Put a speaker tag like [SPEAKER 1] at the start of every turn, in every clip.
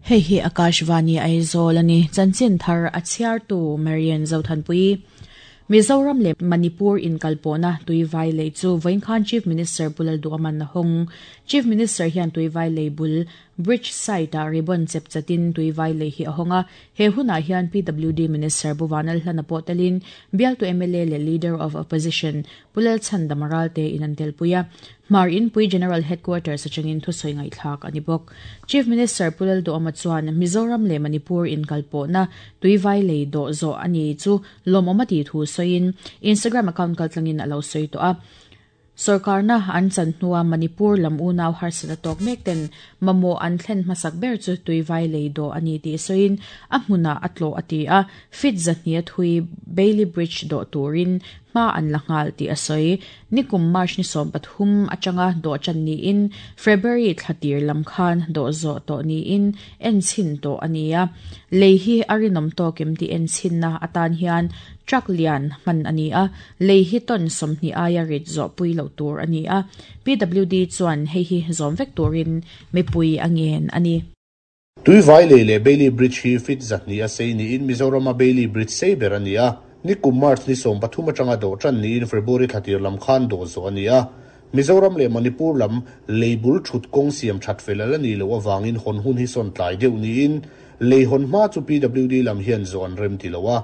[SPEAKER 1] Hei hi Akashvani Aizawl a ni. Chanchin thar a chhiartu Marian Zothanpuii. Mizoram leh Manipur inkalpawhna Tuivai lei chu vawiinkhan Chief Minister Pu Lalduaman a hawng. Chief Minister hian Tuivai lei bul Bridge site-ah ribbon chep chatin Tuivai lei hi a hawng a. He hunah hian PWD Minister Pu Vanlalhlana pawh telin bialtu mla leh Leader of Opposition Pu Lalchhandama Ralte in an telpui a. Hmar Inpui General Headquarters atangin thusawi ngaihthlak a ni bawk. Chief Minister Pu Lalduhawma chuan Mizoram leh Manipur inkalpawhna Tuivai lei dawh zawh a ni chu lawmawm a tih thu sawiin Instagram account kaltlangin a lo sawi tawh a. Sorkarna an chan hnua Manipur lam unau harsat a tawk mek ten mamawh an thlen hmasak ber chu tuivai lei dawh a ni tih sawiin a hmunah a tlawh a ti a, feet zahnih a thui Bailey Bridge dawh turin hma an la nghal tih a sawi. Nikum March ni 13 atanga dawh tan niin February thla tir lam khan dawh zawh tawh niin enchhin tawh a ni a, lei hi a rinawm tawk em tih enchhinna atan hian truck lian hman a ni a, Lei hi ton 20 aia rit zawhpui loh tur a ni a, PWD chuan hei hi zawm vek turin mipui a ngen a ni.
[SPEAKER 2] Tuivai lei leh Bailey Bridge hi feet 200 a sei niin Mizorama Bailey Bridge sei ber a ni a, nikum March ni 13 atanga dawh tan niin February thla tir lam khan dawh zawh a ni a. Mizoram leh Manipur lam lei bul thut kawng siam that fel a la nih loh avangin hawn hun hi sawn tlai deuh niin lei hawn hma chu PWD lam hian zawh an rem ti lo a.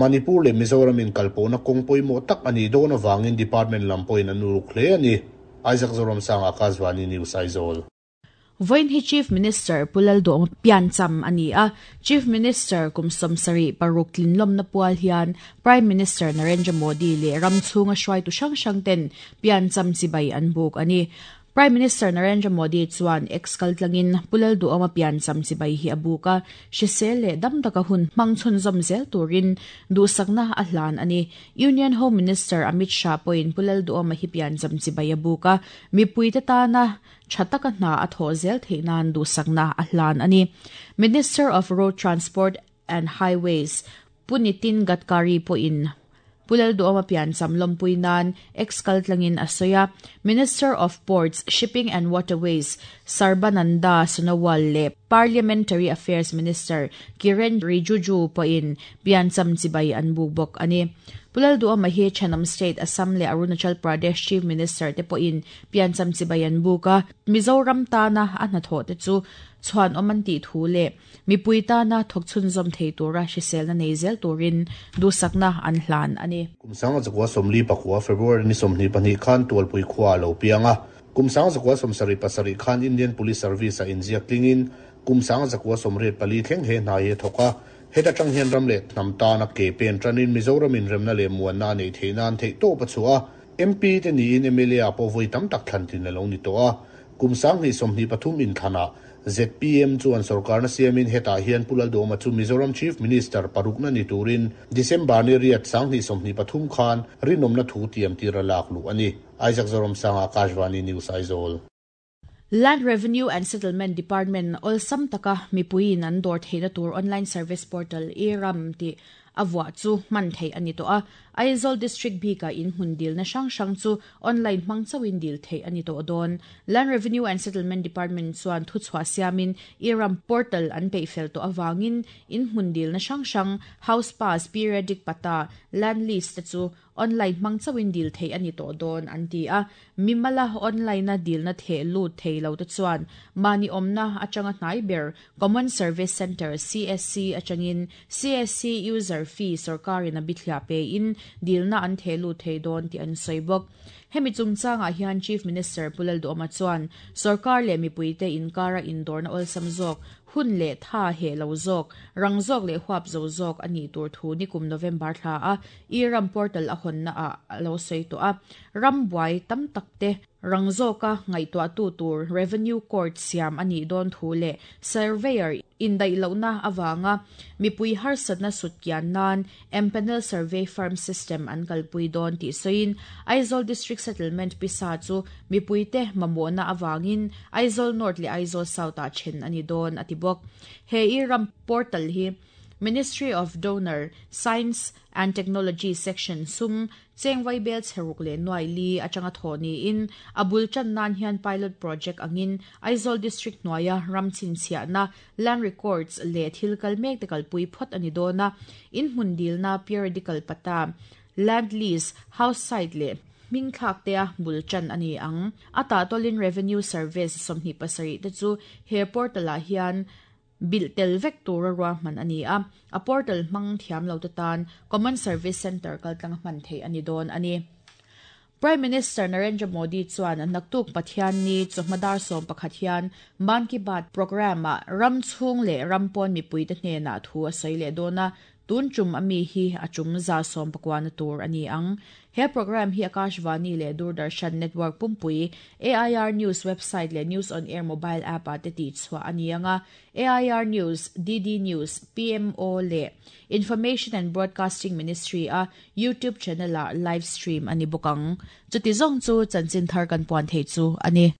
[SPEAKER 2] Manipur leh Mizoram inkalpawhna kawng pawimawh tak a nih dawn avangin Department lam pawhin an uluk hle a ni. Isaac Zoramsanga, Akashvani News, Aizawl.
[SPEAKER 1] Vawiin hi Chief Minister Pu Lalduhawma piancham a ni a, Chief Minister kum 76 tlinlawmna pual hian Prime Minister Narendra Modi leh ram chhunga hruaitu hrang hrang ten piancham chibai an buk a ni. Prime Minister Narendra Modi chuan X kaltlangin Pu Lalduhawma piancham chibai hi a buk a, hrisel leh dam taka hun hmang chhunzawm zel turin duhsakna a hlan a ni. Union Home Minister Amit Shah pawhin Pu Lalduhawma hi piancham chibai a buk a, mipuite tana tha taka hna a thawh zel theih nan duhsakna a hlan a ni. Minister of Road Transport and Highways Pu Nitin Gadkari pawhin Pu Lalduhawma piancham lawmpui nan X kaltlangin a sawi a, Minister of Ports, Shipping and Waterways Sarbananda Sonowal leh Parliamentary Affairs Minister Kiren Rijuju pawhin piancham chibai an buk bawk a ni. Pu Lalduhawma hi thenawm state Assam leh Arunachal Pradesh Chief Minister te pawhin piancham chibai an buk a, Mizoram tana a hnathawh te chu chhuanawm an tih thu leh Mipui tana thawk chhunzawm thei tura hriselna nei zel turin duhsakna an hlan a ni.
[SPEAKER 2] Kum 1944 February ni 22 khan Tualpui khua a lo piang a. Kum 1977 khan Indian Police Service-ah inziak tlingin kum 1984 thleng he hna hi a thawk a. Heta tang hian ram leh hnam tana ke pen tanin Mizoram inremna leh muanna a neih theih nan theihtawp a chhuah a. MP te niin mla ah pawh vawi tam tak thlan tlin a lo ni tawh a. Kum 2023 inthlanah zpm chuan sorkarna siamin hetah hian Pu Lalduhawma chu Mizoram Chief Minister parukna ni turin December ni riat 2023 khan rinawmna thu tiam tir a lak luh a ni. Isaac Zoramsanga, Akashvani News, Aizawl.
[SPEAKER 1] Land Revenue and Settlement Department awlsam taka mipuiin an dawr theihna tur online service portal e-ram tih a vuah chu hman theih a ni tawh a. Aizawl District bikah in hmun dilna hrang hrang chu online hmang chauhin dil theih a ni tawh dawn. Land Revenue and Settlement Department chuan thuchhuah siamin e-ram portal an peih fel tawh avangin in hmun dilna hrang hrang, house pass, periodic patta, land lease te chu Online hmang chauhin dil theih a ni tawh dawn an ti a, mimala online-a dilna theh lut thei lo te chuan mahni awmna atanga hnai ber Common Service Centre, CSC, atangin CSC user fee sorkarin a bithliah pein dilna an theh lut thei dawn tih an sawi bawk. Hemi chungchangah hian Chief Minister Pu Lalduhawma chuan sorkar leh mipuite inkara indawrna awlsam zawk Hun leh tha heh lo zawk, rang zawk leh huap zo zawk a nih tur thu nikum November thla a e-ram portal a hawnna ah a lo sawi tawh a. Ram buai tam tak te rang zawka ngaihtuahtu tur Revenue Court siam a nih dawn thu leh Surveyor indaih lohna avanga mipui harsatna sut kian nan Empanel Survey Firm System an kalpui dawn tih sawiin Aizawl District Settlement pisa chu mipuite mamawhna avangin Aizawl North leh Aizawl South-ah then a ni dawn a ti bawk. He e-ram portal hi Ministry of DoNER, Science and Technology Section sum cheng vaibel chhe ruk leh nuai li atanga thawh niin a bul tan nan hian pilot project angin Aizawl District hnuaia ram chhinchhiahna, land records, leh thil kal mek te kalpui phawt a ni dawn a, in hmun dilna, periodical patta, land lease, house site leh hming thlak tea bul tan a ni ang. A tahtawlin Revenue Service 27 te chu he portal ah hian bilh tel vek tura ruahman a ni a, a portal hmang thiam lo te tan Common Service Centre kaltlang hman theih a ni dawn a ni. Prime Minister Narendra Modi chuan naktuk Pathianni chawhma dar 11 hian Mann Ki Baat programme-ah ram chhung leh ram pawn mipuite hnenah thu a sawi leh dawn a, tun tum ami hi a tum 190 na tur a ni ang. He programme hi Akashvani leh Doordarshan Network pumpui, AIR News website leh News on Air mobile app-ah te tihchhuah a ni ang a, AIR News, DD News, PMO leh Information and Broadcasting Ministry a YouTube channel-ah live stream a ni bawk ang. Chuti zawng chu chanchin thar kan puan thei chu a ni.